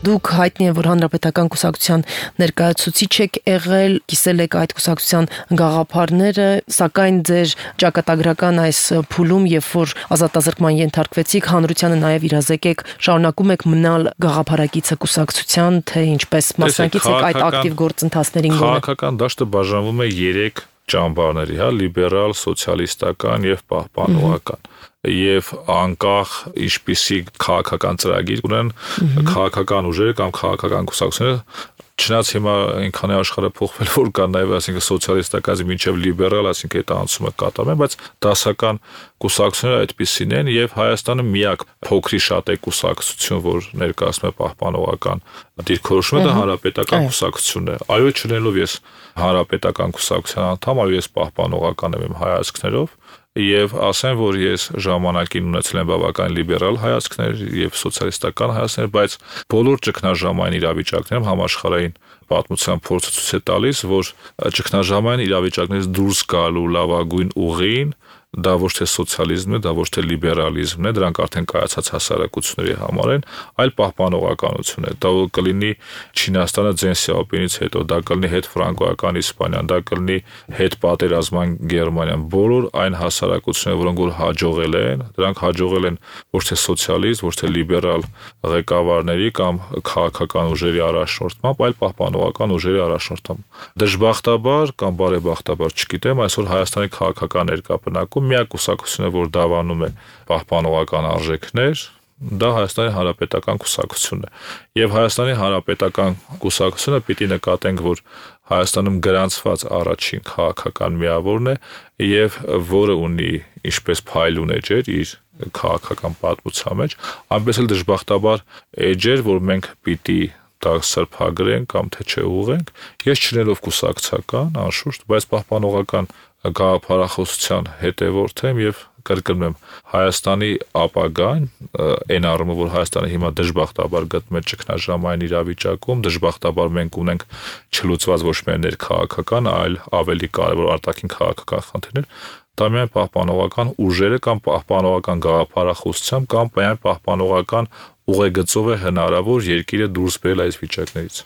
Դուք հայտնի է, որ հանրապետական կուսակցության ներկայացուցիչ եք եղել, կիսել եք այդ կուսակցության գաղափարները, սակայն ձեր ճակատագրական այս փուլում, երբ որ ազատազրկման ենթարկվեցիք, հանրությանը նաև իրազեկեք, շարունակում եք մնալ գաղափարակիցը կուսակցության, թե ինչպես մասնակից եք այդ ակտիվ գործընթացներին։ Քաղաքական դաշտը բաժանվում է 3 ճամբարների, լիբերալ, սոցիալիստական եւ պահպանողական։ Եվ անկախ ինչպիսի քաղաքական ծրագիր ունեն քաղաքական ուժերը կամ քաղաքական կուսակցությունները, չնայած հիմա այնքան է աշխարհը փոխվել, որ կան նաև, այսինքն սոցիալիստականից մինչև լիբերալ, այսինքն այդ անցումը կատարում են, բայց դասական կուսակցությունները այդպիսին են եւ Հայաստանը միակ փոքրի շատ է կուսակցություն, որ ներկայացնում է պահպանողական դիրքորոշումը, դա հանրապետական կուսակցությունն է։ Այո, չնելով ես հանրապետական կուսակցության անդամ, այո, ես պահպանողական եմ իմ հայացքներով եւ ասեմ, որ ես ժամանակին ունեցել եմ բավական լիբերալ հայացքներ եւ սոցիալիստական հայացքներ, բայց բոլոր ճգնաժամային իրավիճակներում համաշխարհային պատմության փորձը ցույց է տալիս, որ ճգնաժամային իրավիճակներից դուրս գալու լավագույն ուղին դա ոչ թե սոցիալիզմն է, դա ոչ թե լիբերալիզմն է, դրանք արդեն կայացած հասարակությունների համար են, այլ պահպանողականություն է։ Դա կլինի Չինաստանը Դեն Սյաոպինից հետո, դա կլինի հետ ֆրանկոական Իսպանիան, դա կլինի հետ պատերազմային Գերմանիան, բոլոր այն հասարակությունները, որոնք որ հաջողել են, դրանք հաջողել են ոչ թե սոցիալիստ, ոչ թե լիբերալ ղեկավարների կամ քաղաքական ուժերի առաջնորդմամբ, այլ պահպանողական ուժերի առաջնորդմամբ։ Դժբախտաբար կամ բարեբախտաբար, չգիտեմ, այսօր Հայաստանի քաղաքական ներկայապնակում միակ կուսակցությունը, որ դավանում է պահպանողական արժեքներ, դա Հայաստանի հանրապետական կուսակցությունն է։ Եվ Հայաստանի հանրապետական կուսակցությունը պիտի նկատենք, որ Հայաստանում գրանցված առաջին քաղաքական միավորն է եւ որը ունի ինչպես փայլուն էջեր իր քաղաքական պատմության մեջ, այնպես էլ դժբախտաբար էջեր, որ մենք պիտի դա սրբագրենք կամ թե չէ ուղենք, ես չնելով կուսակցական, անշուշտ, բայց պահպանողական գաղափարախոսության հետևորդ եմ եւ կրկնում եմ, Հայաստանի ապագան, այն առումով, որ Հայաստանը հիմա դժբախտաբար գտնվում է ճգնաժամային իրավիճակում, դժբախտաբար մենք ունենք չլուծված ոչ միայն ներքաղաքական, այլ ավելի կարևոր արտաքին քաղաքական խնդիրներ, դա միայն պահպանողական ուժերը կամ պահպանողական գաղափարախոսությամբ կամ միայն պահպանողական ուղեգծով է հնարավոր երկիրը դուրս բերել այս վիճակներից։